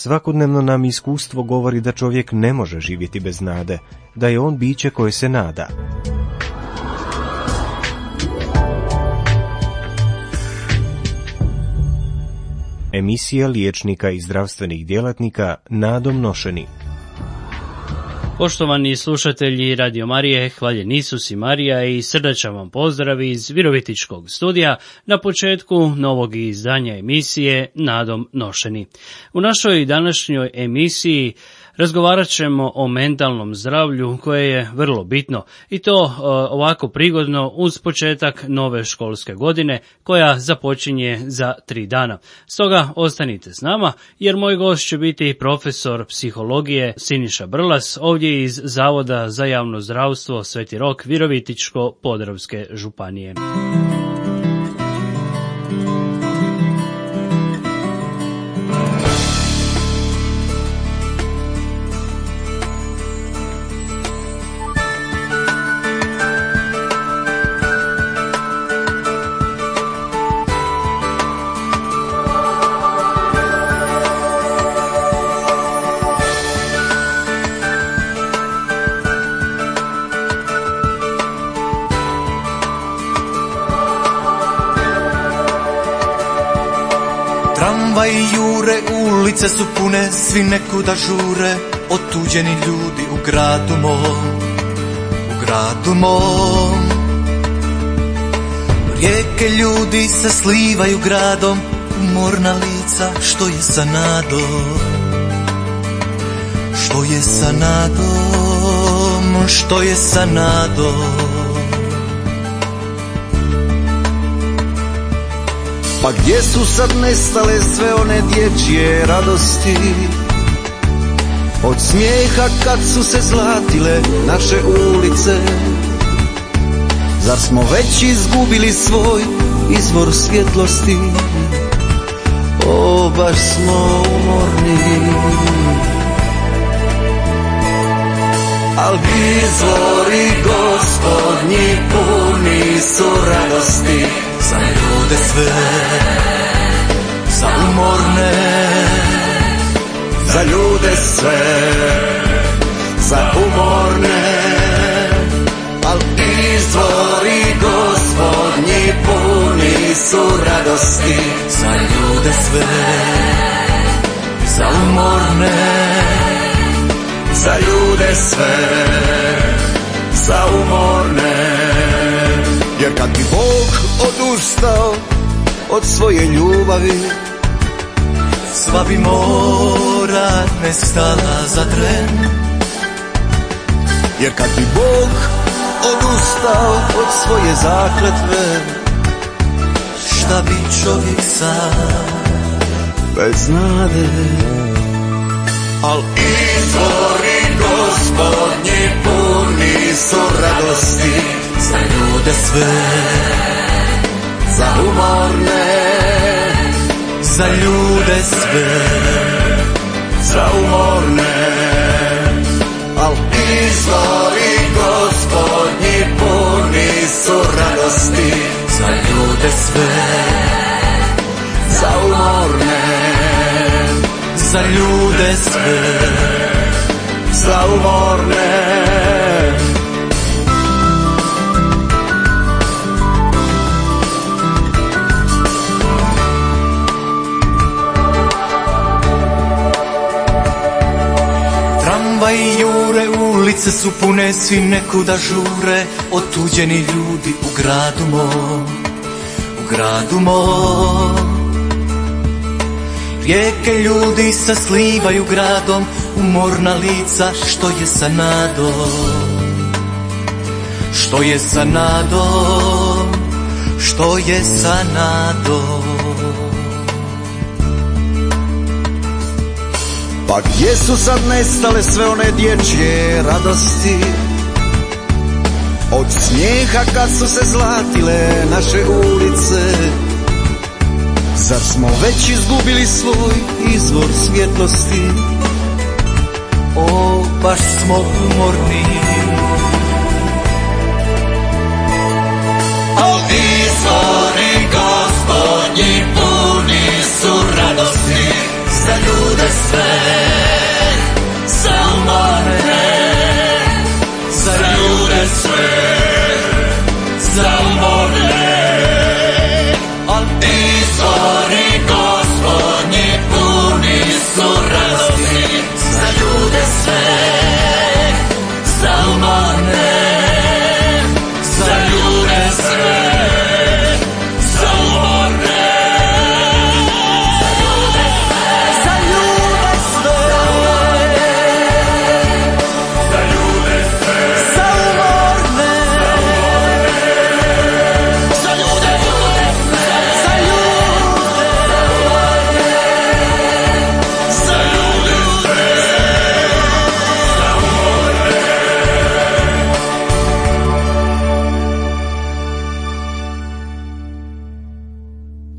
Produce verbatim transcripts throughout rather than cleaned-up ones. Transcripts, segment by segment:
Svakodnevno nam iskustvo govori da čovjek ne može živjeti bez nade, da je on biće koje se nada. Emisija liječnika i zdravstvenih djelatnika Nadom nošeni. Poštovani slušatelji Radio Marije, hvaljen Isus i Marija i srdačan vam pozdrav iz Virovitičkog studija na početku novog izdanja emisije Nadom nošeni. U našoj današnjoj emisiji razgovarat ćemo o mentalnom zdravlju koje je vrlo bitno i to e, ovako prigodno uz početak nove školske godine koja započinje za tri dana. Stoga ostanite s nama jer moj gost će biti profesor psihologije Siniša Brlas ovdje iz Zavoda za javno zdravstvo Sveti Rok Virovitičko-podravske županije. Tramvaj jure, ulice su pune, svi nekuda žure, otuđeni ljudi u gradu mom, u gradu mom. Rijeke ljudi se slivaju gradom, umorna lica, što je sa nadom, što je sa nadom, što je sa nadom. Pa gdje su sad nestale sve one dječje radosti, od smijeha kad su se zlatile naše ulice? Zar smo već izgubili svoj izvor svjetlosti? O, baš smo umorni. Al izvori Gospodnji puni su radosti, za ljude sve, za umorne, za ljude sve, za umorne. Al izvori Gospodnji puni su radosti, za ljude sve, za umorne, za ljude sve, za umorne. Jer kad bi Bog odustao od svoje ljubavi, sva bi mora nestala za tren. Jer kad bi Bog odustao od svoje zakletve, šta bi čovjek sam bez nade? Al izvori Gospodnji puni su radosti, za ljude sve, za umorne, za ljude sve, za umorne. Al izvori Gospodnji puni su radosti, za ljude sve, za umorne, za ljude sve, za umorne. Tramvaj jure, ulice su pune, svi nekuda žure, otuđeni ljudi u gradu mom, u gradu mom. Rijeke ljudi se slivaju gradom, umorna lica, što je sa nadom, što je sa nadom, što je sa nadom. Pa gdje su sad nestale sve one dječje radosti, od smijeha kad su se zlatile naše ulice? Zar smo već izgubili svoj izvor svjetlosti? O, baš smo umorni. Al izvori Gospodnji puni su radosti, za ljude sve, za umorne, za ljude sve, za umorne. Al izvori Gospodnji puni su radosti, za ljude sve, za umorne, za ljude sve, za umorne, za ljude sve, za ljude sve, za umorne, za ljude, za ljude, za ljude sve, za umorne.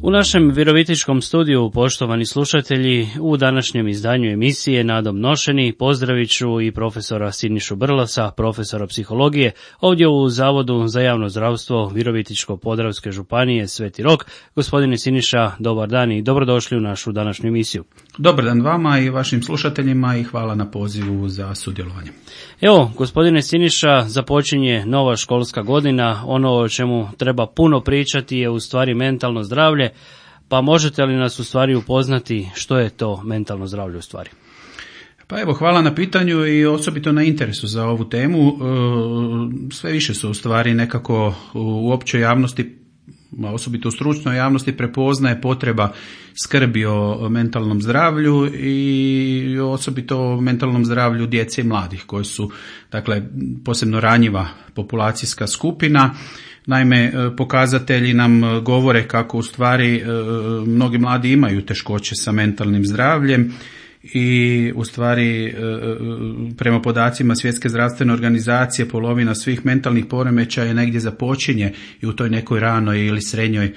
U našem virovitičkom studiju, poštovani slušatelji, u današnjem izdanju emisije Nadom nošeni pozdravit ću i profesora Sinišu Brlasa, profesora psihologije, ovdje u Zavodu za javno zdravstvo Virovitičko-podravske županije Sveti Rok. Gospodine Siniša, dobar dan i dobrodošli u našu današnju emisiju. Dobar dan vama i vašim slušateljima i hvala na pozivu za sudjelovanje. Evo, gospodine Siniša, započinje nova školska godina. Ono o čemu treba puno pričati je u stvari mentalno zdravlje. Pa možete li nas u stvari upoznati što je to mentalno zdravlje u stvari? Pa evo, hvala na pitanju i osobito na interesu za ovu temu. Sve više su u stvari nekako u općoj javnosti, osobito u stručnoj javnosti, prepoznaje potreba skrbi o mentalnom zdravlju i osobito o mentalnom zdravlju djece i mladih koji su, dakle, posebno ranjiva populacijska skupina. Naime, pokazatelji nam govore kako u stvari mnogi mladi imaju teškoće sa mentalnim zdravljem i u stvari prema podacima Svjetske zdravstvene organizacije polovina svih mentalnih poremećaja negdje započinje i u toj nekoj ranoj ili srednjoj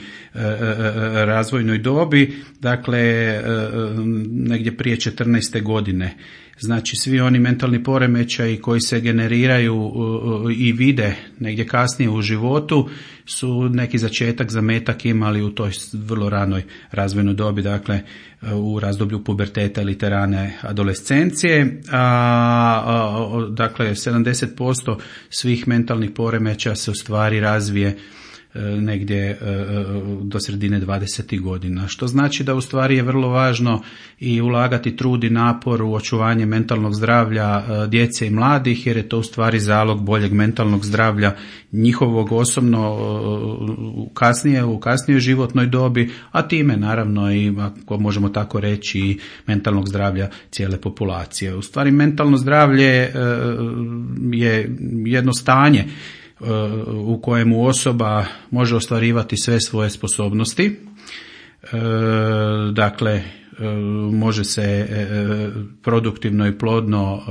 razvojnoj dobi, dakle negdje prije četrnaeste godine. Znači svi oni mentalni poremećaji koji se generiraju i vide negdje kasnije u životu su neki začetak, zametak imali u toj vrlo ranoj razvojnoj dobi, dakle u razdoblju puberteta ili te rane adolescencije. A, a, dakle sedamdeset posto svih mentalnih poremećaja se u stvari razvije negdje do sredine dvadesetih godina, što znači da u stvari je vrlo važno i ulagati trud i napor u očuvanje mentalnog zdravlja djece i mladih, jer je to u stvari zalog boljeg mentalnog zdravlja njihovog osobno kasnije, u kasnijoj životnoj dobi, a time naravno i, ako možemo tako reći, i mentalnog zdravlja cijele populacije. U stvari mentalno zdravlje je jedno stanje u kojemu osoba može ostvarivati sve svoje sposobnosti, dakle može se produktivno i plodno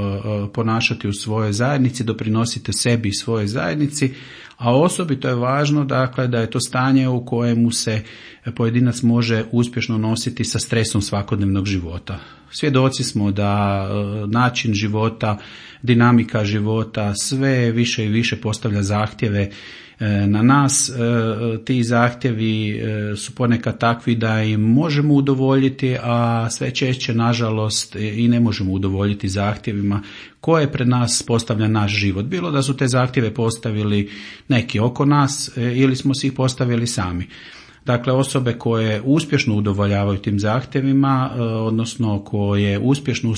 ponašati u svojoj zajednici, doprinositi sebi i svojoj zajednici, a osobito je važno, dakle, da je to stanje u kojemu se pojedinac može uspješno nositi sa stresom svakodnevnog života. Svjedoci smo da način života, dinamika života sve više i više postavlja zahtjeve na nas. Ti zahtjevi su ponekad takvi da im možemo udovoljiti, a sve češće nažalost i ne možemo udovoljiti zahtjevima koje pred nas postavlja naš život. Bilo da su te zahtjeve postavili neki oko nas ili smo si ih postavili sami. Dakle, osobe koje uspješno udovoljavaju tim zahtjevima, odnosno koje uspješno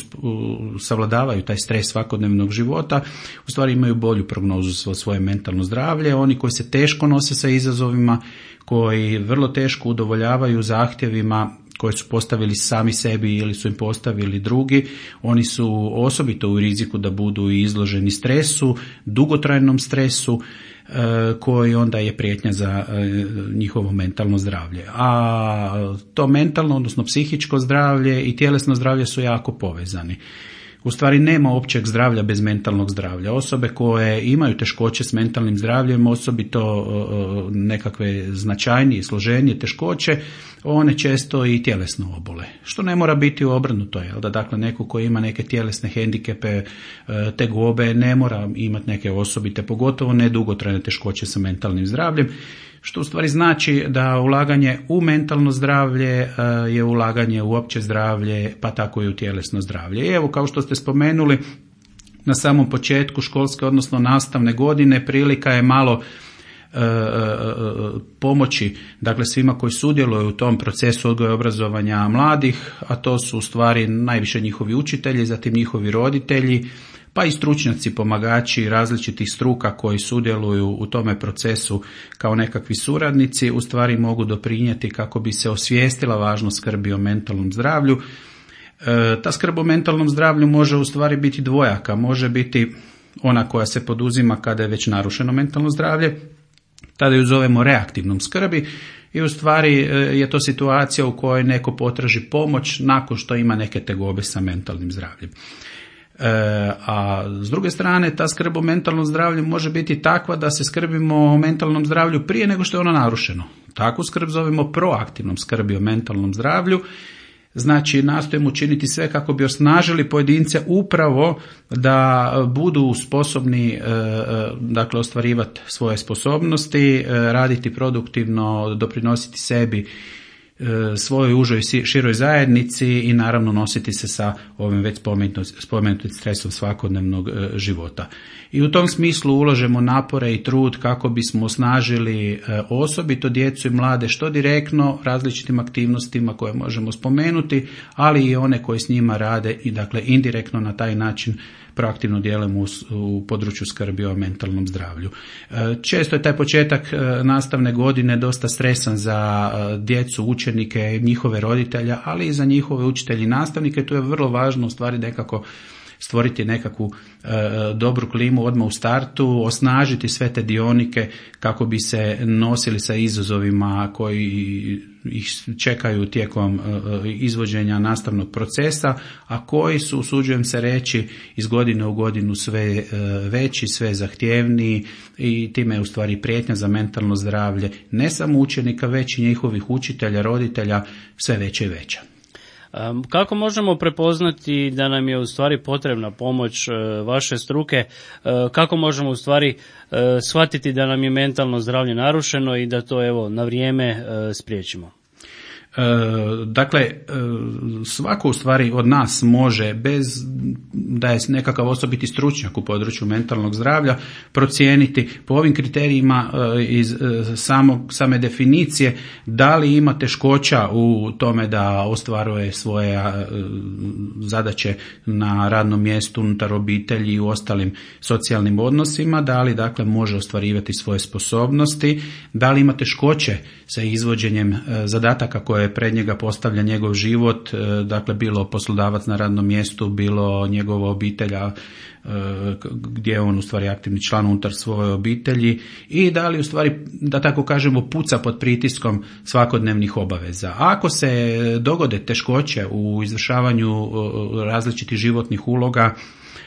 savladavaju taj stres svakodnevnog života, u stvari imaju bolju prognozu za svoje mentalno zdravlje. Oni koji se teško nose sa izazovima, koji vrlo teško udovoljavaju zahtjevima koje su postavili sami sebi ili su im postavili drugi, oni su osobito u riziku da budu izloženi stresu, dugotrajnom stresu, koji onda je prijetnja za njihovo mentalno zdravlje. A to mentalno, odnosno psihičko zdravlje i tjelesno zdravlje su jako povezani. U stvari nema općeg zdravlja bez mentalnog zdravlja. Osobe koje imaju teškoće s mentalnim zdravljem, osobito nekakve značajnije, složenije teškoće, one često i tjelesno obole. Što ne mora biti obrnuto, jel da, dakle neko koji ima neke tjelesne hendikepe, tegobe, ne mora imati neke osobite, pogotovo ne dugotrajne teškoće sa mentalnim zdravljem. što u stvari znači da ulaganje u mentalno zdravlje je ulaganje u opće zdravlje, pa tako i u tjelesno zdravlje. I evo, kao što ste spomenuli, na samom početku školske, odnosno nastavne godine, prilika je malo e, e, pomoći, dakle, svima koji sudjeluju u tom procesu odgoja i obrazovanja mladih, a to su u stvari najviše njihovi učitelji, zatim njihovi roditelji, pa i stručnjaci, pomagači različitih struka koji sudjeluju u tome procesu kao nekakvi suradnici, u stvari mogu doprinijeti kako bi se osvijestila važnost skrbi o mentalnom zdravlju. E, ta skrb o mentalnom zdravlju može u stvari biti dvojaka, može biti ona koja se poduzima kada je već narušeno mentalno zdravlje, tada ju zovemo reaktivnom skrbi i u stvari je to situacija u kojoj neko potraži pomoć nakon što ima neke tegobe sa mentalnim zdravljem. E, a s druge strane, ta skrb o mentalnom zdravlju može biti takva da se skrbimo o mentalnom zdravlju prije nego što je ono narušeno. Takvu skrb zovemo proaktivnom skrbi o mentalnom zdravlju. Znači, nastojimo učiniti sve kako bi osnažili pojedince upravo da budu sposobni, dakle, ostvarivati svoje sposobnosti, raditi produktivno, doprinositi sebi, svojoj užoj široj zajednici i naravno nositi se sa ovim već spomenutim stresom svakodnevnog života. I u tom smislu ulažemo napore i trud kako bismo osnažili osobito djecu i mlade što direktno različitim aktivnostima koje možemo spomenuti, ali i one koje s njima rade i dakle indirektno na taj način proaktivno djelujemo u, u području skrbi o mentalnom zdravlju. Često je taj početak nastavne godine dosta stresan za djecu, učenike, njihove roditelja, ali i za njihove učitelje i nastavnike. Tu je vrlo važno u stvari nekako stvoriti nekakvu e, dobru klimu odmah u startu, osnažiti sve te dionike kako bi se nosili sa izazovima koji ih čekaju tijekom e, izvođenja nastavnog procesa, a koji su, usuđujem se reći, iz godine u godinu sve e, veći, sve zahtjevniji i time je u stvari prijetnja za mentalno zdravlje ne samo učenika, već i njihovih učitelja, roditelja sve veća i veća. Kako možemo prepoznati da nam je u stvari potrebna pomoć vaše struke? Kako možemo u stvari shvatiti da nam je mentalno zdravlje narušeno i da to evo na vrijeme spriječimo? Dakle, svako u stvari od nas može, bez da je nekakav osobiti stručnjak u području mentalnog zdravlja, procijeniti po ovim kriterijima iz samog, same definicije da li ima teškoća u tome da ostvaruje svoje zadaće na radnom mjestu, unutar obitelji i u ostalim socijalnim odnosima, da li dakle može ostvarivati svoje sposobnosti, da li ima teškoće sa izvođenjem zadataka koje pred njega postavlja njegov život, dakle bilo poslodavac na radnom mjestu, bilo njegova obitelja gdje je on u stvari aktivni član unutar svoje obitelji i da li u stvari, da tako kažemo, puca pod pritiskom svakodnevnih obaveza. Ako se dogode teškoće u izvršavanju različitih životnih uloga,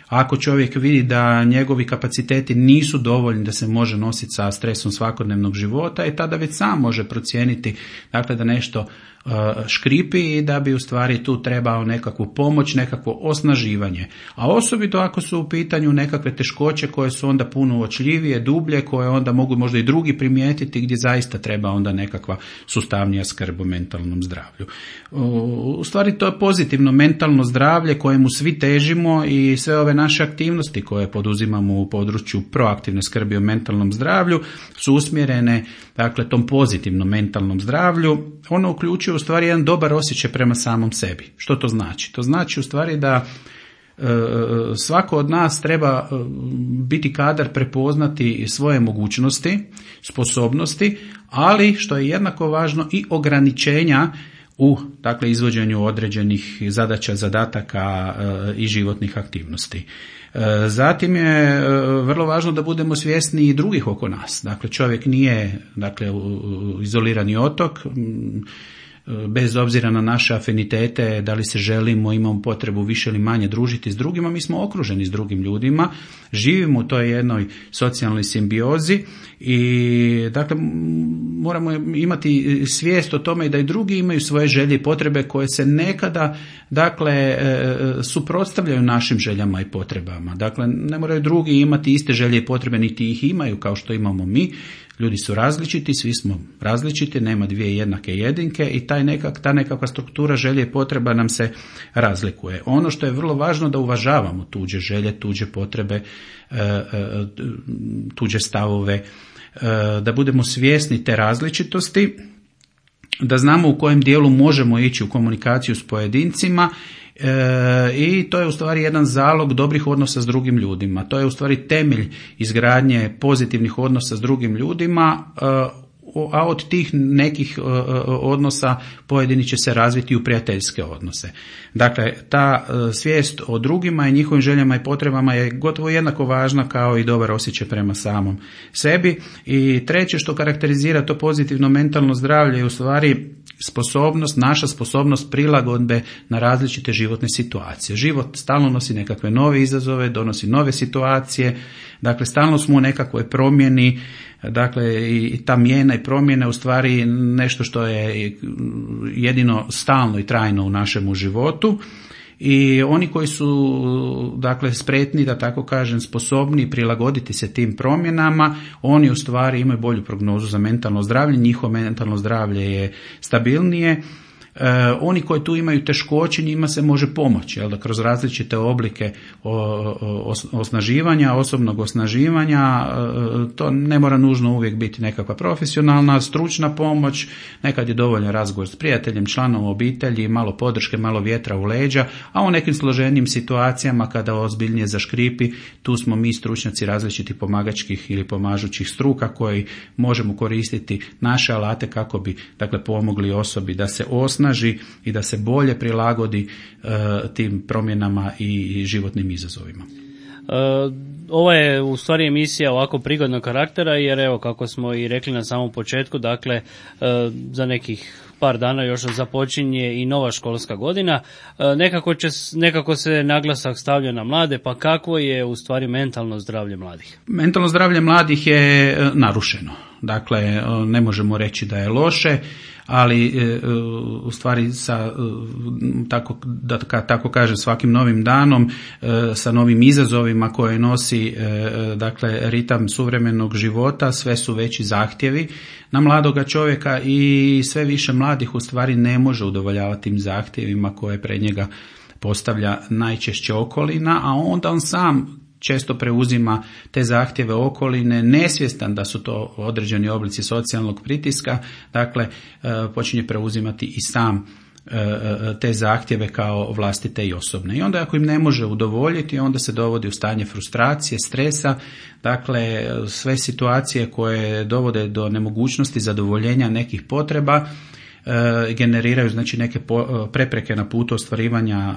ako čovjek vidi da njegovi kapaciteti nisu dovoljni da se može nositi sa stresom svakodnevnog života, i tada već sam može procijeniti dakle da nešto uh, škripi i da bi u stvari tu trebao nekakvu pomoć, nekakvo osnaživanje. A osobito ako su u pitanju nekakve teškoće koje su onda puno uočljivije, dublje, koje onda mogu možda i drugi primijetiti, gdje zaista treba onda nekakva sustavnija skrb o mentalnom zdravlju. U stvari to je pozitivno mentalno zdravlje kojemu svi težimo i sve ove naše aktivnosti koje poduzimamo u području proaktivne skrbi o mentalnom zdravlju su usmjerene dakle tom pozitivnom mentalnom zdravlju. Ono uključuje u stvari jedan dobar osjećaj prema samom sebi. Što to znači? To znači u stvari da e, svako od nas treba biti kadar prepoznati svoje mogućnosti, sposobnosti, ali što je jednako važno i ograničenja u dakle izvođenju određenih zadaća, zadataka e, i životnih aktivnosti. E, zatim je e, vrlo važno da budemo svjesni i drugih oko nas. Dakle, čovjek nije dakle izolirani otok, m, bez obzira na naše afinitete, da li se želimo, imamo potrebu više ili manje družiti s drugima, mi smo okruženi s drugim ljudima, živimo u toj jednoj socijalnoj simbiozi i dakle moramo imati svijest o tome da i drugi imaju svoje želje i potrebe koje se nekada dakle suprotstavljaju našim željama i potrebama. Dakle, ne moraju drugi imati iste želje i potrebe, niti ih imaju kao što imamo mi. Ljudi su različiti, svi smo različiti, nema dvije jednake jedinke i taj nekak, ta nekakva struktura želje i potreba nam se razlikuje. Ono što je vrlo važno da uvažavamo tuđe želje, tuđe potrebe, tuđe stavove, da budemo svjesni te različitosti, da znamo u kojem dijelu možemo ići u komunikaciju s pojedincima. E, i to je u stvari jedan zalog dobrih odnosa s drugim ljudima. To je u stvari temelj izgradnje pozitivnih odnosa s drugim ljudima, e, a od tih nekih odnosa pojedini će se razviti u prijateljske odnose. Dakle, ta svijest o drugima i njihovim željama i potrebama je gotovo jednako važna kao i dobar osjećaj prema samom sebi. I treće što karakterizira to pozitivno mentalno zdravlje je u stvari sposobnost, naša sposobnost prilagodbe na različite životne situacije. Život stalno nosi nekakve nove izazove, donosi nove situacije, dakle stalno smo u nekakvoj promjeni. Dakle, i ta mijena i promjena je u stvari nešto što je jedino stalno i trajno u našemu životu. I oni koji su, dakle, spretni, da tako kažem, sposobni prilagoditi se tim promjenama, oni u stvari imaju bolju prognozu za mentalno zdravlje, njihovo mentalno zdravlje je stabilnije. E, oni koji tu imaju teškoće, njima se može pomoći, jel da, kroz različite oblike o, o, osnaživanja, osobnog osnaživanja. E, to ne mora nužno uvijek biti nekakva profesionalna, stručna pomoć, nekad je dovoljno razgovor s prijateljem, članom obitelji, malo podrške, malo vjetra u leđa, a u nekim složenijim situacijama kada ozbiljnije zaškripi, tu smo mi stručnjaci različitih pomagačkih ili pomažućih struka koji možemo koristiti naše alate kako bi, dakle, pomogli osobi da se osnaži i da se bolje prilagodi uh, tim promjenama i životnim izazovima. Uh, ovo je u stvari emisija ovako prigodnog karaktera, jer evo kako smo i rekli na samom početku, dakle uh, za nekih par dana još započinje i nova školska godina. Uh, nekako, će, nekako se naglasak stavlja na mlade, pa kakvo je u stvari mentalno zdravlje mladih? Mentalno zdravlje mladih je uh, narušeno. Dakle, uh, ne možemo reći da je loše, ali u stvari sa, tako, da tako kažem, svakim novim danom, sa novim izazovima koje nosi, dakle, ritam suvremenog života, sve su veći zahtjevi na mladoga čovjeka i sve više mladih u stvari ne može udovoljavati tim zahtjevima koje pred njega postavlja najčešće okolina, a onda on sam često preuzima te zahtjeve okoline, nesvjestan da su to određeni oblici socijalnog pritiska, dakle počinje preuzimati i sam te zahtjeve kao vlastite i osobne. I onda ako im ne može udovoljiti, onda se dovodi u stanje frustracije, stresa, dakle sve situacije koje dovode do nemogućnosti zadovoljenja nekih potreba generiraju, znači, neke prepreke na putu ostvarivanja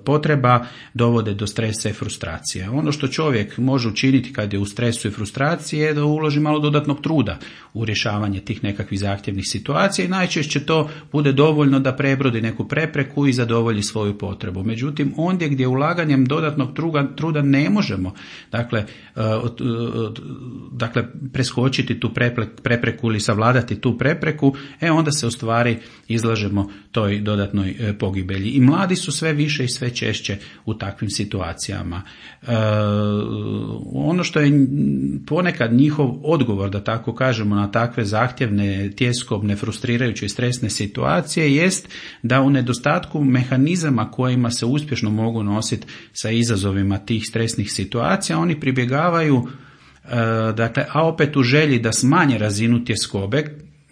potreba, dovode do stresa i frustracije. Ono što čovjek može učiniti kad je u stresu i frustraciji je da uloži malo dodatnog truda u rješavanje tih nekakvih zahtjevnih situacija i najčešće to bude dovoljno da prebrodi neku prepreku i zadovolji svoju potrebu. Međutim, ondje gdje ulaganjem dodatnog truda, truda ne možemo, dakle, dakle preskočiti tu prepreku ili savladati tu prepreku, e onda se u stvari izlažemo toj dodatnoj pogibelji. I mladi su sve više i sve češće u takvim situacijama. E, ono što je ponekad njihov odgovor, da tako kažemo, na takve zahtjevne, tjeskobne, frustrirajuće i stresne situacije jest da u nedostatku mehanizama kojima se uspješno mogu nositi sa izazovima tih stresnih situacija, oni pribjegavaju, e, dakle, a opet u želji da smanje razinu tjeskobe,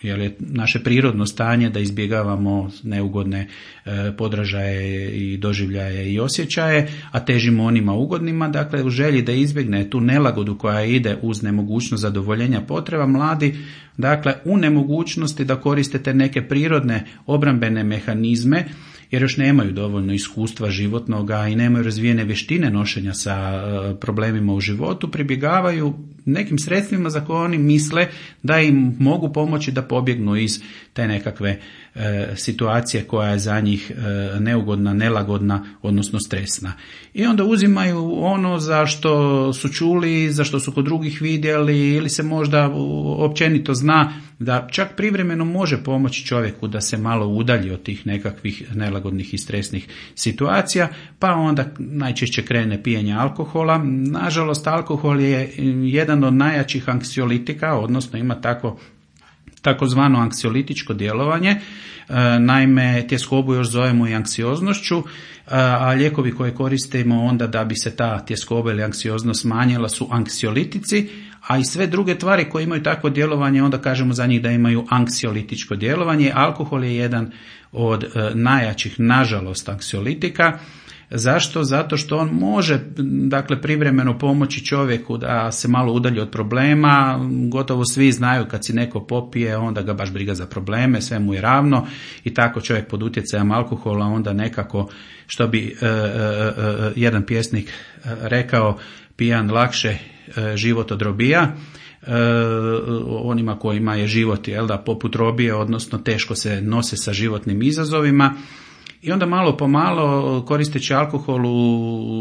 jer je naše prirodno stanje da izbjegavamo neugodne e, podražaje i doživljaje i osjećaje, a težimo onima ugodnima, dakle u želji da izbjegne tu nelagodu koja ide uz nemogućnost zadovoljenja potreba, mladi, dakle, u nemogućnosti da koristite neke prirodne obrambene mehanizme, jer još nemaju dovoljno iskustva životnoga i nemaju razvijene vještine nošenja sa problemima u životu, pribjegavaju nekim sredstvima za koje oni misle da im mogu pomoći da pobjegnu iz te nekakve e, situacije koja je za njih e, neugodna, nelagodna, odnosno stresna. I onda uzimaju ono za što su čuli, za što su kod drugih vidjeli ili se možda općenito zna da čak privremeno može pomoći čovjeku da se malo udalji od tih nekakvih nelagodnih i stresnih situacija, pa onda najčešće krene pijenje alkohola. Nažalost, alkohol je jedan od najjačih anksiolitika, odnosno ima tako takozvano anksiolitičko djelovanje. Naime, tjeskobu još zovemo i anksioznošću, a lijekovi koje koristimo onda da bi se ta tjeskoba ili anksioznost smanjila su anksiolitici, a i sve druge tvari koje imaju takvo djelovanje onda kažemo za njih da imaju anksiolitičko djelovanje. Alkohol je jedan od najjačih, nažalost, anksiolitika. Zašto? Zato što on može, dakle, privremeno pomoći čovjeku da se malo udalji od problema. Gotovo svi znaju kad si neko popije, onda ga baš briga za probleme, sve mu je ravno i tako čovjek pod utjecajem alkohola onda nekako, što bi e, e, e, jedan pjesnik rekao, pijan lakše e, život od robija. E, onima kojima je život, jel da, poput robije, odnosno teško se nose sa životnim izazovima. I onda malo po malo, koristeći alkohol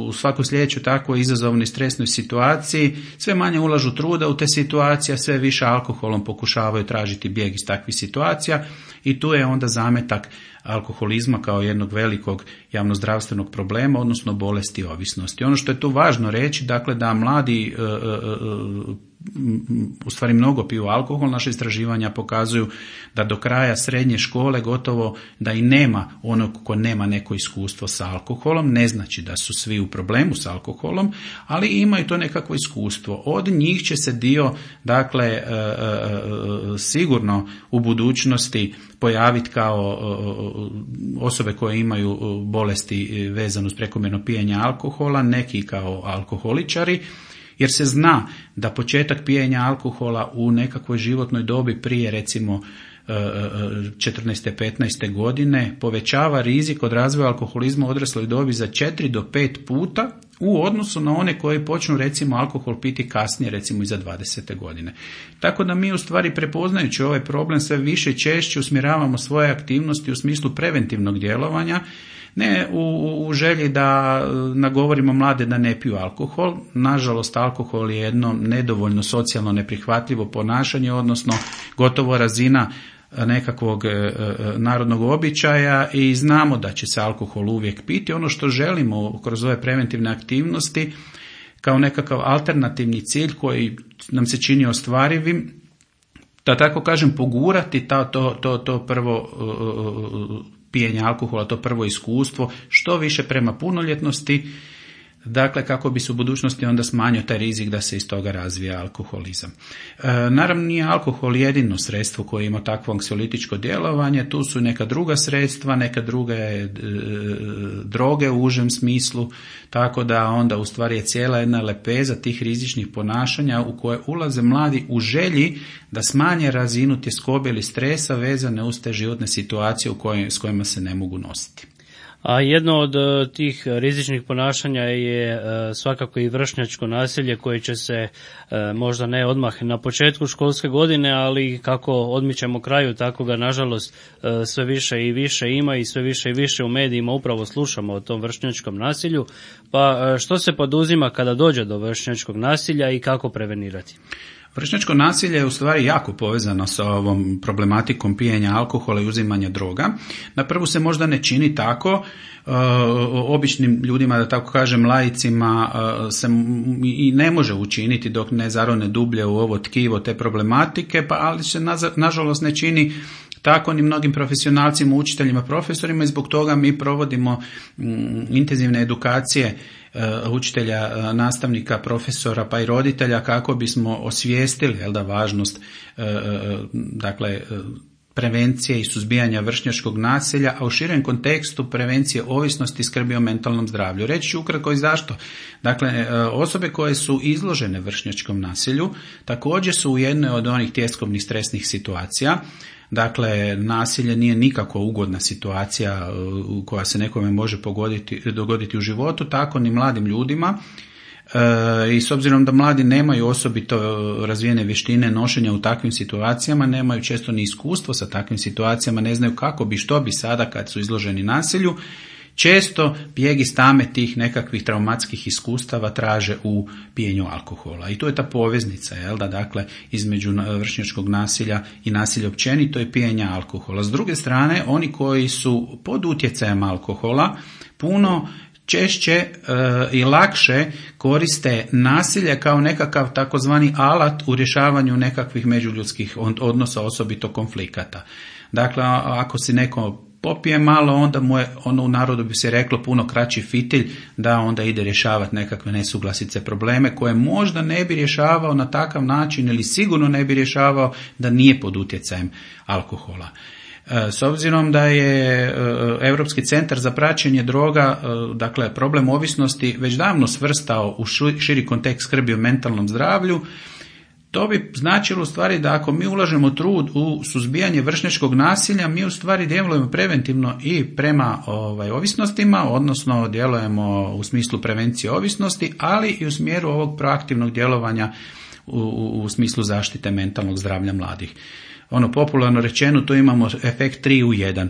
u svakoj sljedećoj takvoj izazovnoj stresnoj situaciji, sve manje ulažu truda u te situacije, sve više alkoholom pokušavaju tražiti bijeg iz takvih situacija i tu je onda zametak alkoholizma kao jednog velikog javnozdravstvenog problema, odnosno bolesti ovisnosti. Ono što je tu važno reći, dakle, da mladi e, e, u stvari mnogo piju alkohol. Naše istraživanja pokazuju da do kraja srednje škole gotovo da i nema onog ko nema neko iskustvo sa alkoholom. Ne znači da su svi u problemu s alkoholom, ali imaju to nekakvo iskustvo. Od njih će se dio, dakle, e, e, sigurno u budućnosti pojaviti kao osobe koje imaju bolesti vezano uz prekomjerno pijenje alkohola, neki kao alkoholičari, jer se zna da početak pijenja alkohola u nekakvoj životnoj dobi prije recimo četrnaeste petnaeste godine povećava rizik od razvoja alkoholizma u odrasloj dobi za četiri do pet puta u odnosu na one koji počnu recimo alkohol piti kasnije, recimo iza dvadesete godine. Tako da mi u stvari prepoznajući ovaj problem sve više i češće usmjeravamo svoje aktivnosti u smislu preventivnog djelovanja, ne u, u želji da nagovorimo mlade da ne piju alkohol. Nažalost, alkohol je jedno nedovoljno socijalno neprihvatljivo ponašanje, odnosno gotovo razina nekakvog e, narodnog običaja i znamo da će se alkohol uvijek piti. Ono što želimo kroz ove preventivne aktivnosti kao nekakav alternativni cilj koji nam se čini ostvarivim, da tako kažem pogurati ta, to, to, to prvo e, pijenje alkohola, to prvo iskustvo, što više prema punoljetnosti, dakle kako bi se u budućnosti onda smanjio taj rizik da se iz toga razvija alkoholizam. E, naravno nije alkohol jedino sredstvo koje ima takvo anksiolitičko djelovanje, tu su neka druga sredstva, neka druge e, droge u užem smislu, tako da onda u stvari je cijela jedna lepeza tih rizičnih ponašanja u koje ulaze mladi u želji da smanje razinu tjeskobe ili stresa vezane uz te životne situacije u koje, s kojima se ne mogu nositi. A jedno od tih rizičnih ponašanja je svakako i vršnjačko nasilje koje će se možda ne odmah na početku školske godine, ali kako odmičemo kraju, tako ga nažalost sve više i više ima i sve više i više u medijima upravo slušamo o tom vršnjačkom nasilju. Pa što se poduzima kada dođe do vršnjačkog nasilja i kako prevenirati? Vršnjačko nasilje je u stvari jako povezano sa ovom problematikom pijenja alkohola i uzimanja droga. Na prvu se možda ne čini tako, e, običnim ljudima, da tako kažem laicima, e, se i ne može učiniti dok ne zarone dublje u ovo tkivo te problematike, pa ali se na, nažalost ne čini tako ni mnogim profesionalcima, učiteljima, profesorima i zbog toga mi provodimo m, intenzivne edukacije učitelja, nastavnika, profesora pa i roditelja kako bismo osvijestili jel da, važnost dakle prevencije i suzbijanja vršnjačkog nasilja, a u širem kontekstu prevencije ovisnosti i skrbi o mentalnom zdravlju. Reći ću ukratko i zašto. Dakle, osobe koje su izložene vršnjačkom nasilju također su u jednoj od onih tjeskovnih stresnih situacija. Dakle, nasilje nije nikako ugodna situacija koja se nekome može pogoditi, dogoditi u životu, tako ni mladim ljudima. E, I s obzirom da mladi nemaju osobito razvijene vještine nošenja u takvim situacijama, nemaju često ni iskustvo sa takvim situacijama, ne znaju kako bi, što bi sada kad su izloženi nasilju, često bijeg iz tame tih nekakvih traumatskih iskustava traže u pijenju alkohola. I tu je ta poveznica, jel da, dakle, između vršnjačkog nasilja i nasilja općenito je pijenja alkohola. S druge strane, oni koji su pod utjecajem alkohola puno češće e, i lakše koriste nasilje kao nekakav takozvani alat u rješavanju nekakvih međuljudskih odnosa, osobito konflikata. Dakle, ako si neko popije malo, onda mu je, ono u narodu bi se reklo, puno kraći fitilj da onda ide rješavati nekakve nesuglasice, probleme koje možda ne bi rješavao na takav način ili sigurno ne bi rješavao da nije pod utjecajem alkohola. S obzirom da je Europski centar za praćenje droga, dakle problem ovisnosti, već davno svrstao u širi kontekst skrbi o mentalnom zdravlju, to bi značilo u stvari da ako mi ulažemo trud u suzbijanje vršnjačkog nasilja, mi u stvari djelujemo preventivno i prema ovaj, ovisnostima, odnosno djelujemo u smislu prevencije ovisnosti, ali i u smjeru ovog proaktivnog djelovanja u, u, u smislu zaštite mentalnog zdravlja mladih. Ono popularno rečeno, tu imamo efekt tri u jedan.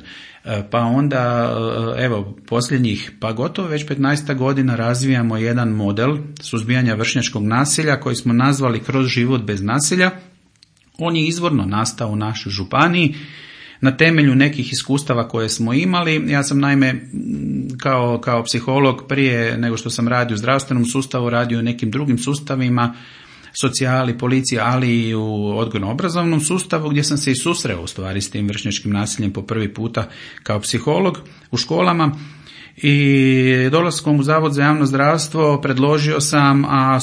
Pa onda, evo, posljednjih, pa gotovo već petnaest godina razvijamo jedan model suzbijanja vršnjačkog nasilja koji smo nazvali Kroz život bez nasilja. On je izvorno nastao u našoj županiji na temelju nekih iskustava koje smo imali. Ja sam naime kao, kao psiholog prije nego što sam radio u zdravstvenom sustavu, radio u nekim drugim sustavima, socijali, policija, ali i u odgojno-obrazovnom sustavu gdje sam se i susreo u stvari s tim vršnjačkim nasiljem po prvi puta kao psiholog u školama. I dolaskom u Zavod za javno zdravstvo predložio sam, a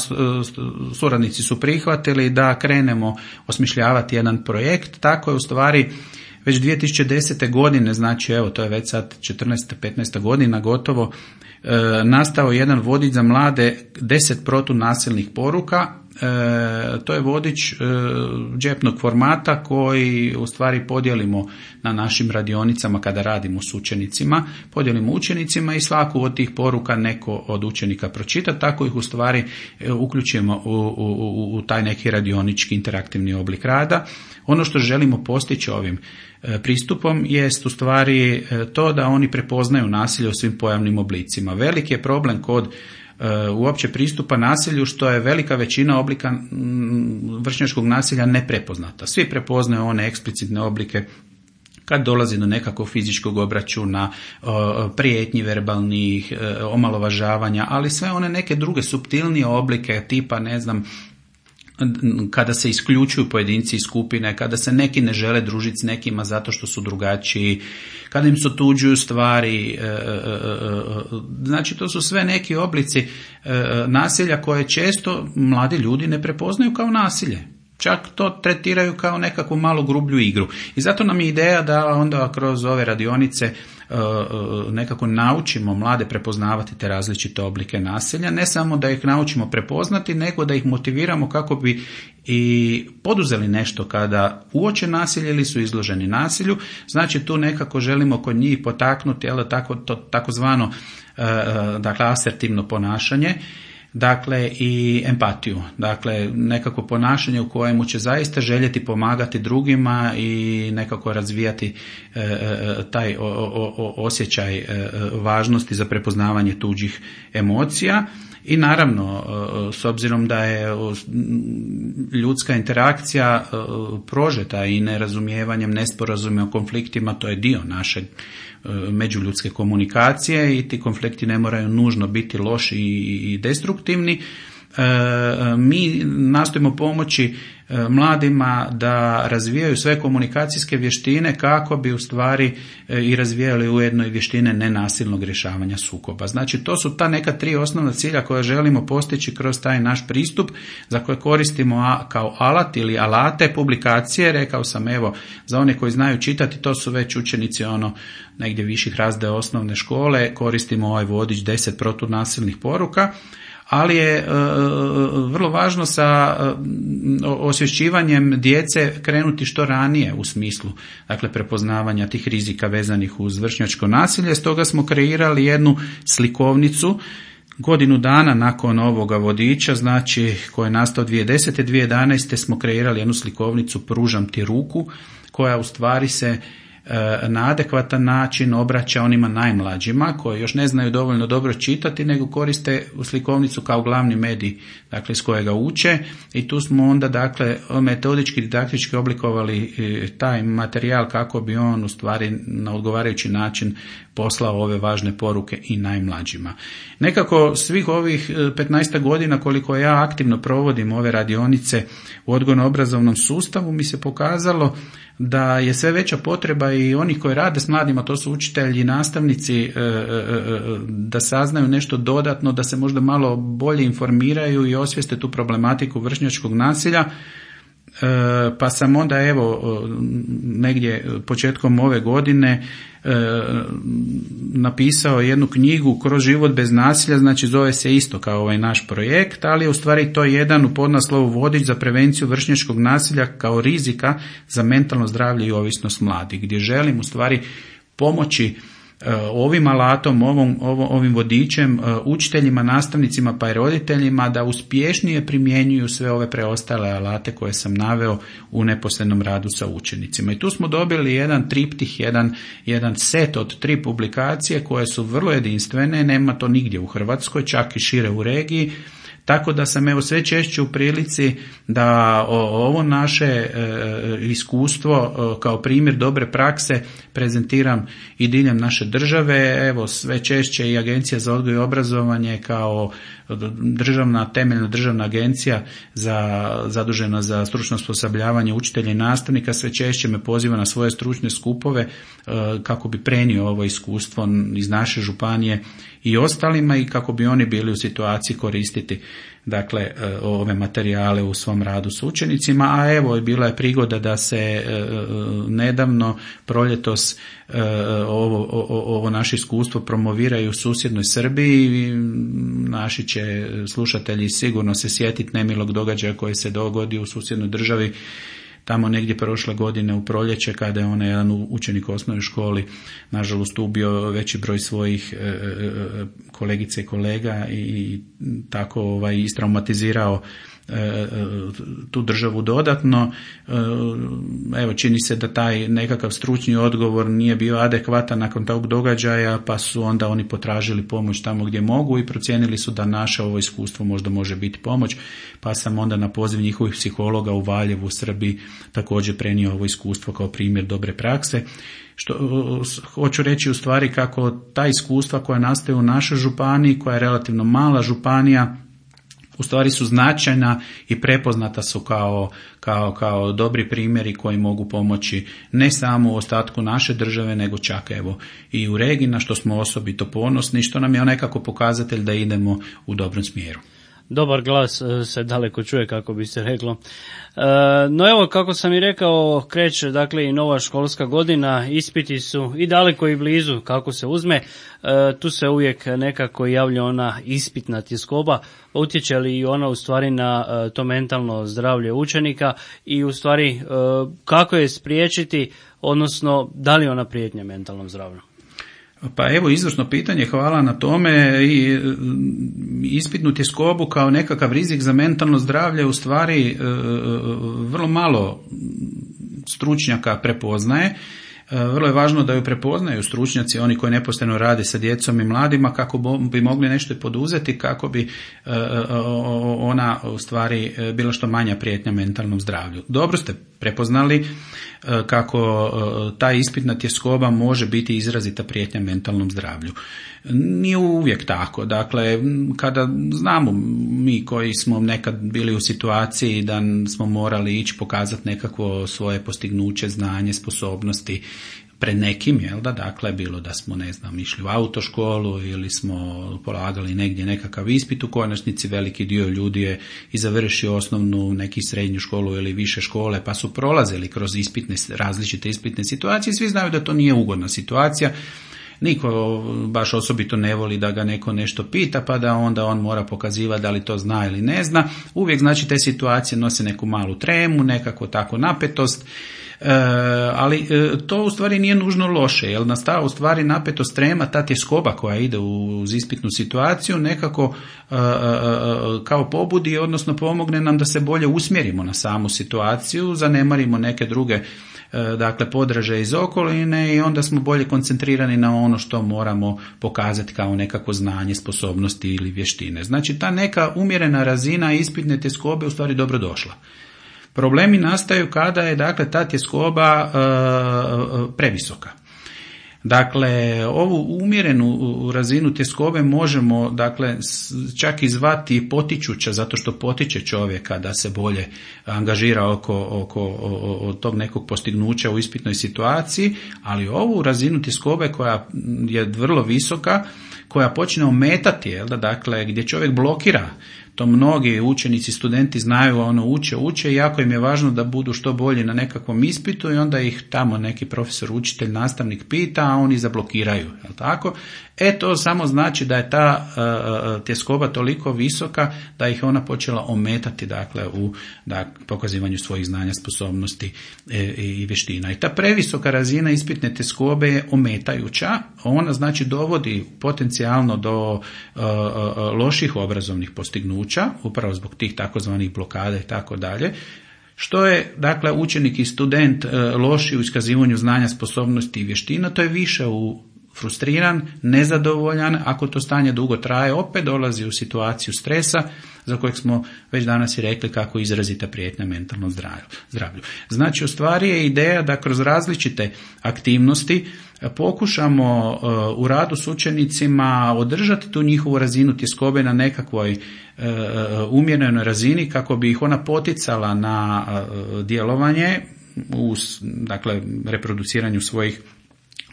suradnici su prihvatili da krenemo osmišljavati jedan projekt. Tako je u stvari već dvije tisuće desete. godine, znači evo to je već sad četrnaesta petnaesta godina gotovo, e, nastao jedan vodič za mlade, deset protunasilnih poruka. E, to je vodič e, džepnog formata koji u stvari podijelimo na našim radionicama kada radimo s učenicima, podijelimo učenicima i svaku od tih poruka neko od učenika pročita, tako ih u stvari e, uključimo u, u, u taj neki radionički interaktivni oblik rada. Ono što želimo postići ovim e, pristupom jest u stvari e, to da oni prepoznaju nasilje u svim pojavnim oblicima. Veliki je problem kod uopće pristupa nasilju što je velika većina oblika vršnjačkog nasilja neprepoznata. Svi prepoznaju one eksplicitne oblike kad dolazi do nekakvog fizičkog obračuna, prijetnji verbalnih, omalovažavanja, ali sve one neke druge suptilnije oblike tipa, ne znam, kada se isključuju pojedinci iz skupine, kada se neki ne žele družiti s nekima zato što su drugačiji, kada im se otuđuju stvari, znači to su sve neki oblici nasilja koje često mladi ljudi ne prepoznaju kao nasilje. Čak to tretiraju kao nekakvu malo grublju igru. I zato nam je ideja da onda kroz ove radionice nekako naučimo mlade prepoznavati te različite oblike nasilja, ne samo da ih naučimo prepoznati, nego da ih motiviramo kako bi i poduzeli nešto kada uoče nasilje ili su izloženi nasilju. Znači tu nekako želimo kod njih potaknuti, jel, tako, to, takozvano dakle, asertivno ponašanje, dakle i empatiju, dakle nekako ponašanje u kojemu će zaista željeti pomagati drugima i nekako razvijati e, e, taj o, o, osjećaj e, važnosti za prepoznavanje tuđih emocija. I naravno, s obzirom da je ljudska interakcija prožeta i nerazumijevanjem, nesporazumima, konfliktima, to je dio naše međuljudske komunikacije i ti konflikti ne moraju nužno biti loši i destruktivni. Mi nastojimo pomoći mladima da razvijaju sve komunikacijske vještine kako bi u stvari i razvijali ujedno i vještine nenasilnog rješavanja sukoba. Znači to su ta neka tri osnovna cilja koje želimo postići kroz taj naš pristup za koje koristimo kao alat ili alate publikacije. Rekao sam, evo, za one koji znaju čitati, to su već učenici ono negdje viših razreda osnovne škole, koristimo ovaj vodič deset protunasilnih poruka. Ali je e, vrlo važno sa e, osvješćivanjem djece krenuti što ranije u smislu, dakle, prepoznavanja tih rizika vezanih uz vršnjačko nasilje. Stoga smo kreirali jednu slikovnicu godinu dana nakon ovoga vodiča, znači koji je nastao dvije tisuće desete. dvije tisuće jedanaeste. smo kreirali jednu slikovnicu Pružam ti ruku, koja u stvari se na adekvatan način obraća onima najmlađima koji još ne znaju dovoljno dobro čitati, nego koriste slikovnicu kao glavni medij, dakle s kojega uče, i tu smo onda dakle metodički, didaktički oblikovali taj materijal kako bi on u stvari na odgovarajući način poslao ove važne poruke i najmlađima. Nekako svih ovih petnaest godina koliko ja aktivno provodim ove radionice u odgojno-obrazovnom sustavu mi se pokazalo da je sve veća potreba i onih koji rade s mladima, to su učitelji i nastavnici, da saznaju nešto dodatno, da se možda malo bolje informiraju i osvijeste tu problematiku vršnjačkog nasilja. Pa sam onda evo negdje početkom ove godine napisao jednu knjigu Kroz život bez nasilja, znači zove se isto kao ovaj naš projekt, ali je u stvari to jedan u podnaslovu vodič za prevenciju vršnjačkog nasilja kao rizika za mentalno zdravlje i ovisnost mladih, gdje želim u stvari pomoći ovim alatom, ovom, ovim vodičem učiteljima, nastavnicima pa i roditeljima da uspješnije primjenjuju sve ove preostale alate koje sam naveo u neposrednom radu sa učenicima. I tu smo dobili jedan triptih, jedan, jedan set od tri publikacije koje su vrlo jedinstvene, nema to nigdje u Hrvatskoj, čak i šire u regiji. Tako da sam evo sve češće u prilici da ovo naše e, iskustvo e, kao primjer dobre prakse prezentiram i diljem naše države. Evo sve češće i Agencija za odgoj i obrazovanje kao državna, temeljna državna agencija za, zadužena za stručno osposobljavanje učitelja i nastavnika sve češće me poziva na svoje stručne skupove e, kako bi prenio ovo iskustvo iz naše županije i ostalima i kako bi oni bili u situaciji koristiti dakle ove materijale u svom radu s učenicima, a evo bila je prigoda da se nedavno proljetos ovo, ovo naše iskustvo promoviraju u susjednoj Srbiji. Naši će slušatelji sigurno se sjetiti nemilog događaja koji se dogodio u susjednoj državi tamo negdje prošle godine u proljeće kada je onaj jedan učenik u osnovnoj školi nažalost ubio veći broj svojih e, e, kolegice i kolega i tako ovaj, istraumatizirao e, tu državu dodatno. E, evo čini se da taj nekakav stručni odgovor nije bio adekvatan nakon tog događaja pa su onda oni potražili pomoć tamo gdje mogu i procijenili su da naše ovo iskustvo možda može biti pomoć, pa sam onda na poziv njihovih psihologa u Valjevu u Srbiji također prenio ovo iskustvo kao primjer dobre prakse. Što hoću reći u stvari kako ta iskustva koja nastaju u našoj županiji, koja je relativno mala županija, u stvari su značajna i prepoznata su kao, kao, kao dobri primjeri koji mogu pomoći ne samo u ostatku naše države, nego čak evo i u regiji, na što smo osobito ponosni, što nam je nekako pokazatelj da idemo u dobrom smjeru. Dobar glas se daleko čuje, kako bi se reklo. No evo, kako sam i rekao, kreće dakle i nova školska godina, ispiti su i daleko i blizu kako se uzme. Tu se uvijek nekako javlja ona ispitna tjeskoba, utječe li i ona u stvari na to mentalno zdravlje učenika i u stvari kako je spriječiti, odnosno da li ona prijetnja mentalnom zdravlju? Pa evo izvrsno pitanje, hvala na tome. I ispitnu tjeskobu kao nekakav rizik za mentalno zdravlje u stvari vrlo malo stručnjaka prepoznaje. Vrlo je važno da ju prepoznaju stručnjaci, oni koji neposredno rade sa djecom i mladima, kako bi mogli nešto poduzeti, kako bi ona u stvari bila što manja prijetnja mentalnom zdravlju. Dobro ste prepoznali kako ta ispitna tjeskoba može biti izrazita prijetnja mentalnom zdravlju. Nije uvijek tako. Dakle, kada znamo mi koji smo nekad bili u situaciji da smo morali ići pokazati nekakvo svoje postignuće, znanje, sposobnosti pred nekim, jel da, dakle, bilo da smo, ne znam, išli u autoškolu ili smo polagali negdje nekakav ispit, u konačnici veliki dio ljudi je i završio osnovnu, neki srednju školu ili više škole, pa su prolazili kroz ispitne, različite ispitne situacije. Svi znaju da to nije ugodna situacija. Niko baš osobito ne voli da ga neko nešto pita, pa da onda on mora pokazivati da li to zna ili ne zna. Uvijek znači te situacije nose neku malu tremu, nekako tako napetost. E, ali e, to u stvari nije nužno loše, jer nastava u stvari napetost, trema, ta tjeskoba koja ide uz ispitnu situaciju nekako e, e, kao pobudi, odnosno pomogne nam da se bolje usmjerimo na samu situaciju, zanemarimo neke druge dakle podraže iz okoline i onda smo bolje koncentrirani na ono što moramo pokazati kao nekako znanje, sposobnosti ili vještine. Znači ta neka umjerena razina ispitne tjeskobe u stvari dobro došla. Problemi nastaju kada je dakle ta tjeskoba e, previsoka. Dakle, ovu umjerenu razinu tjeskobe možemo dakle čak i zvati potičuća, zato što potiče čovjeka da se bolje angažira oko, oko o, o tog nekog postignuća u ispitnoj situaciji, ali ovu razinu tjeskobe koja je vrlo visoka, koja počne ometati, jel da, dakle, gdje čovjek blokira, to mnogi učenici, studenti znaju, ono uče, uče i jako im je važno da budu što bolji na nekakvom ispitu i onda ih tamo neki profesor, učitelj, nastavnik pita, a oni zablokiraju, jel tako? E to samo znači da je ta uh, tjeskoba toliko visoka da ih ona počela ometati, dakle, u dakle, pokazivanju svojih znanja, sposobnosti e, i vještina. I ta previsoka razina ispitne tjeskobe je ometajuća, ona znači dovodi potencijalno do uh, uh, loših obrazovnih postignuća, upravo zbog tih takozvanih blokada i tako dalje. Što je, dakle, učenik i student uh, loši u iskazivanju znanja, sposobnosti i vještina, to je više u frustriran, nezadovoljan, ako to stanje dugo traje, opet dolazi u situaciju stresa, za kojeg smo već danas i rekli kako izrazita prijetnja mentalnom zdravlju. Znači, u stvari je ideja da kroz različite aktivnosti pokušamo u radu s učenicima održati tu njihovu razinu tjeskobe na nekakvoj umjerenoj razini kako bi ih ona poticala na djelovanje u, dakle, reproduciranju svojih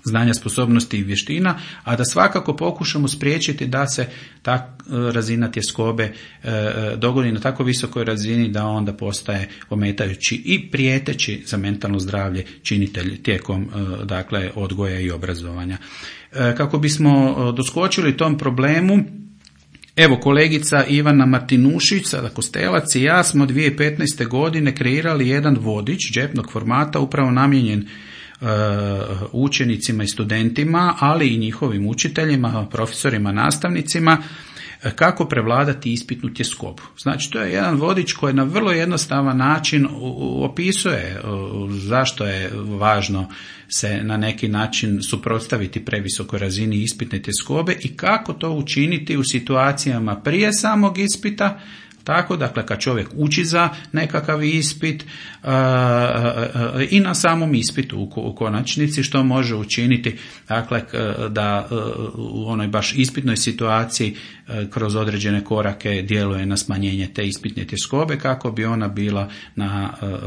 znanja, sposobnosti i vještina, a da svakako pokušamo spriječiti da se ta razina tjeskobe e, dogodi na tako visokoj razini da onda postaje ometajući i prijeteći za mentalno zdravlje činitelj tijekom e, dakle odgoja i obrazovanja. E, kako bismo doskočili tom problemu, evo, kolegica Ivana Martinušić, sada Kostelac i ja smo dvije tisuće petnaeste. godine kreirali jedan vodič džepnog formata upravo namijenjen učenicima i studentima, ali i njihovim učiteljima, profesorima, nastavnicima, kako prevladati ispitnu tjeskobu. Znači, to je jedan vodič koji na vrlo jednostavan način opisuje zašto je važno se na neki način suprotstaviti previsokoj razini ispitne tjeskobe i kako to učiniti u situacijama prije samog ispita, tako, dakle, kad čovjek uči za nekakav ispit uh, uh, uh, i na samom ispitu u, u konačnici što može učiniti, dakle, da uh, u onoj baš ispitnoj situaciji uh, kroz određene korake djeluje na smanjenje te ispitne tjeskobe kako bi ona bila na uh, uh,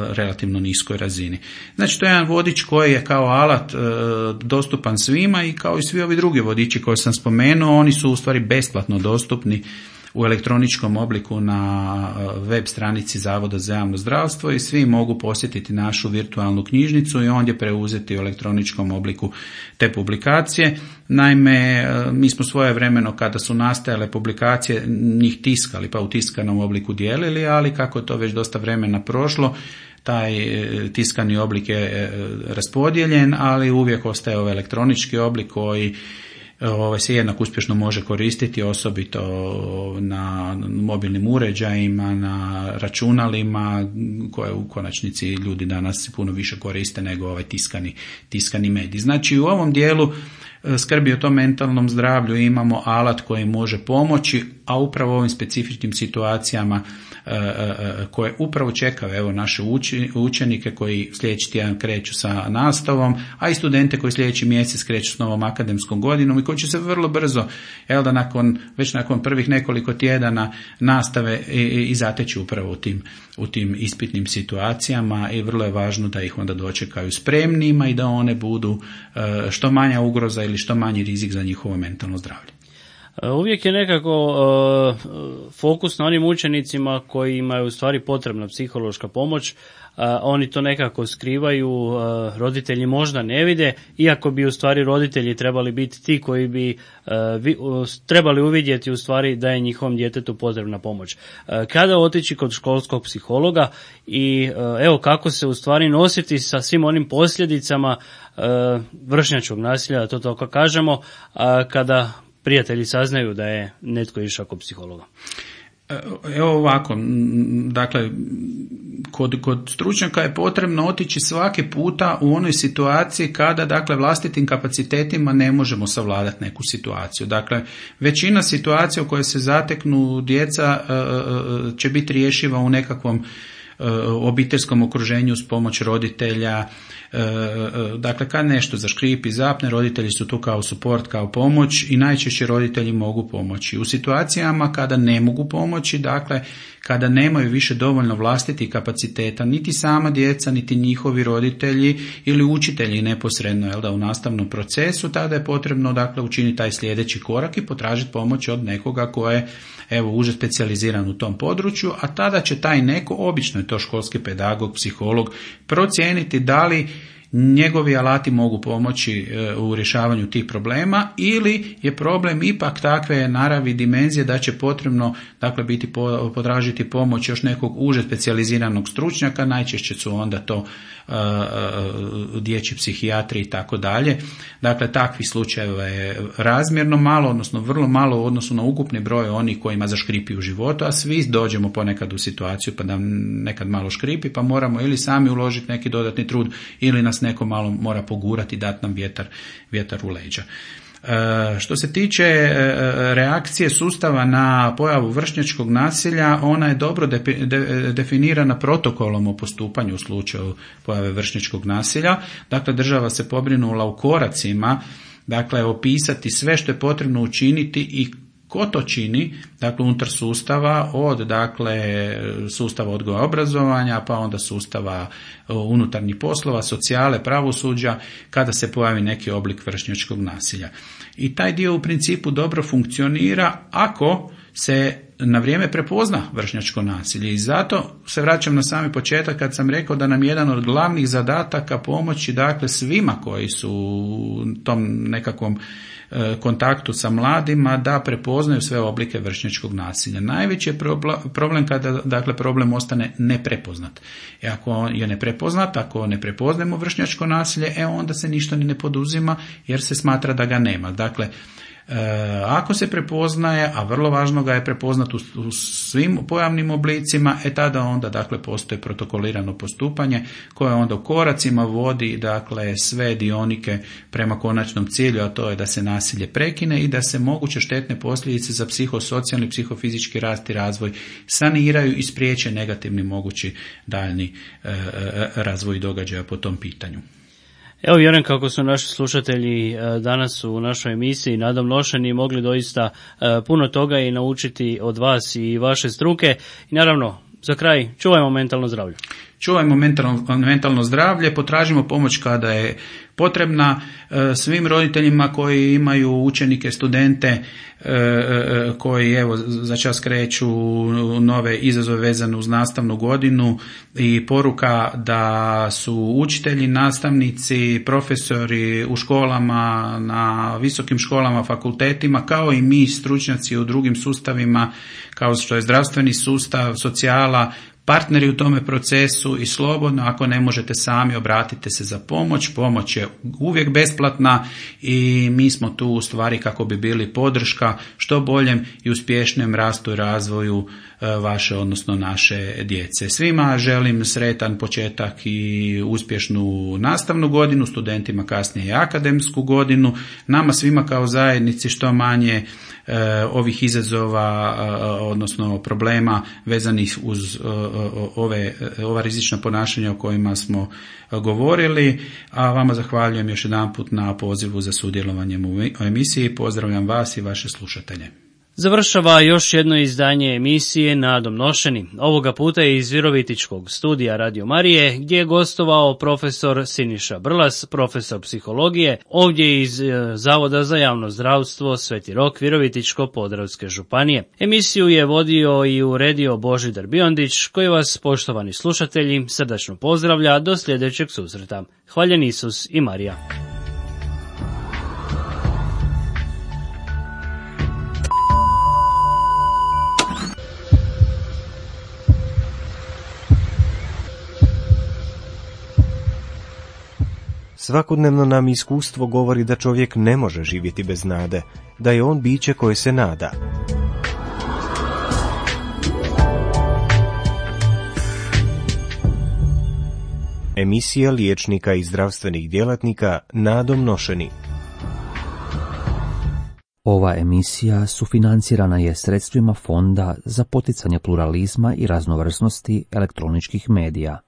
relativno niskoj razini. Znači, to je jedan vodič koji je kao alat uh, dostupan svima i kao i svi ovi drugi vodiči koje sam spomenuo, oni su u stvari besplatno dostupni u elektroničkom obliku na web stranici Zavoda za javno zdravstvo i svi mogu posjetiti našu virtualnu knjižnicu i ondje preuzeti u elektroničkom obliku te publikacije. Naime, mi smo svojevremeno kada su nastajale publikacije njih tiskali pa u tiskanom obliku dijelili, ali kako je to već dosta vremena prošlo, taj tiskani oblik je raspodijeljen, ali uvijek ostaje ovaj elektronički oblik koji ovaj se jednako uspješno može koristiti, osobito na mobilnim uređajima, na računalima koje u konačnici ljudi danas puno više koriste nego ovaj tiskani, tiskani medij. Znači, u ovom dijelu skrbi o tom mentalnom zdravlju imamo alat koji može pomoći, a upravo u ovim specifičnim situacijama koje upravo čekaju evo naše učenike koji sljedeći tjedan kreću sa nastavom, a i studente koji sljedeći mjesec kreću s novom akademskom godinom i koji će se vrlo brzo, evo da nakon, već nakon prvih nekoliko tjedana nastave i, i zateći upravo u tim, u tim ispitnim situacijama i vrlo je važno da ih onda dočekaju spremnima i da one budu što manja ugroza ili što manji rizik za njihovo mentalno zdravlje. Uvijek je nekako uh, fokus na onim učenicima koji imaju u stvari potrebna psihološka pomoć, uh, oni to nekako skrivaju, uh, roditelji možda ne vide, iako bi u stvari roditelji trebali biti ti koji bi uh, vi, uh, trebali uvidjeti u stvari da je njihovom djetetu potrebna pomoć. Uh, kada otići kod školskog psihologa i uh, evo kako se u stvari nositi sa svim onim posljedicama uh, vršnjačkog nasilja, da to tako kažemo, uh, kada prijatelji saznaju da je netko išao kod psihologa. Evo ovako, dakle, kod, kod stručnjaka je potrebno otići svaki puta u onoj situaciji kada, dakle, vlastitim kapacitetima ne možemo savladati neku situaciju. Dakle, većina situacija u kojoj se zateknu djeca će biti rješiva u nekakvom obiteljskom okruženju s pomoć roditelja. Dakle, kad nešto zaškripi, zapne, roditelji su tu kao suport, kao pomoć i najčešće roditelji mogu pomoći. U situacijama kada ne mogu pomoći, dakle, kada nemaju više dovoljno vlastitih kapaciteta, niti sama djeca, niti njihovi roditelji ili učitelji neposredno, jel da, u nastavnom procesu, tada je potrebno, dakle, učiniti taj sljedeći korak i potražiti pomoć od nekoga ko je, evo, uže specijaliziran u tom području, a tada će taj neko, obično je to školski pedagog, psiholog, procijeniti da li njegovi alati mogu pomoći u rješavanju tih problema ili je problem ipak takve naravi, dimenzije da će potrebno, dakle, biti potražiti pomoć još nekog uže specijaliziranog stručnjaka, najčešće su onda to uh, uh, dječji psihijatri i tako dalje. Dakle, takvih slučajeva je razmjerno malo, odnosno vrlo malo u odnosu na ukupni broj onih kojima zaškripi u životu, a svi dođemo ponekad u situaciju pa da nekad malo škripi, pa moramo ili sami uložiti neki dodatni trud ili nas neko malo mora pogurati i dati nam vjetar, vjetar u leđa. E, što se tiče e, reakcije sustava na pojavu vršnjačkog nasilja, ona je dobro de, de, definirana protokolom o postupanju u slučaju pojave vršnjačkog nasilja. Dakle, država se pobrinula u koracima, dakle, opisati sve što je potrebno učiniti i ko to čini, dakle, unutar sustava, od, dakle, sustava odgoja i obrazovanja, pa onda sustava unutarnjih poslova, socijale, pravosuđa, kada se pojavi neki oblik vršnjačkog nasilja. I taj dio u principu dobro funkcionira ako se na vrijeme prepozna vršnjačko nasilje i zato se vraćam na sami početak kad sam rekao da nam je jedan od glavnih zadataka pomoći, dakle, svima koji su u tom nekakvom kontaktu sa mladima da prepoznaju sve oblike vršnjačkog nasilja. Najveći je problem kada, dakle, problem ostane neprepoznat. E ako je neprepoznat, ako ne prepoznajemo vršnjačko nasilje, e onda se ništa ni ne poduzima jer se smatra da ga nema. Dakle, E, ako se prepoznaje, a vrlo važno ga je prepoznat u, u svim pojavnim oblicima, e tada onda, dakle, postoji protokolirano postupanje koje onda u koracima vodi, dakle, sve dionike prema konačnom cilju, a to je da se nasilje prekine i da se moguće štetne posljedice za psihosocijalni, psihofizički rast i razvoj saniraju i spriječe negativni mogući daljni e, e, razvoj događaja po tom pitanju. Evo, vjerujem kako su naši slušatelji danas u našoj emisiji Nadom nošeni mogli doista puno toga i naučiti od vas i vaše struke. I naravno, za kraj, čuvajmo mentalno zdravlje. Čuvajmo mentalno, mentalno zdravlje, potražimo pomoć kada je potrebna svim roditeljima koji imaju učenike, studente koji, evo, za čas kreću nove izazove vezane uz nastavnu godinu i poruka da su učitelji, nastavnici, profesori u školama, na visokim školama, fakultetima, kao i mi stručnjaci u drugim sustavima, kao što je zdravstveni sustav, socijala, partneri u tome procesu i slobodno, ako ne možete sami, obratite se za pomoć. Pomoć je uvijek besplatna i mi smo tu u stvari kako bi bili podrška što boljem i uspješnijem rastu i razvoju vaše, odnosno naše djece. Svima želim sretan početak i uspješnu nastavnu godinu, studentima kasnije i akademsku godinu, nama svima kao zajednici što manje e, ovih izazova, e, odnosno problema vezanih uz e, ove, ova rizična ponašanja o kojima smo govorili, a vama zahvaljujem još jedanput na pozivu za sudjelovanjem u emisiji. Pozdravljam vas i vaše slušatelje. Završava još jedno izdanje emisije Nadom nošeni. Ovoga puta je iz Virovitičkog studija Radio Marije, gdje je gostovao profesor Siniša Brlas, profesor psihologije, ovdje iz Zavoda za javno zdravstvo Sveti Rok Virovitičko-podravske županije. Emisiju je vodio i uredio Božidar Biondić, koji vas, poštovani slušatelji, srdačno pozdravlja do sljedećeg susreta. Hvaljen Isus i Marija. Svakodnevno nam iskustvo govori da čovjek ne može živjeti bez nade, da je on biće koje se nada. Emisija liječnika i zdravstvenih djelatnika Nadom Nošeni. Ova emisija sufinancirana je sredstvima Fonda za poticanje pluralizma i raznovrsnosti elektroničkih medija.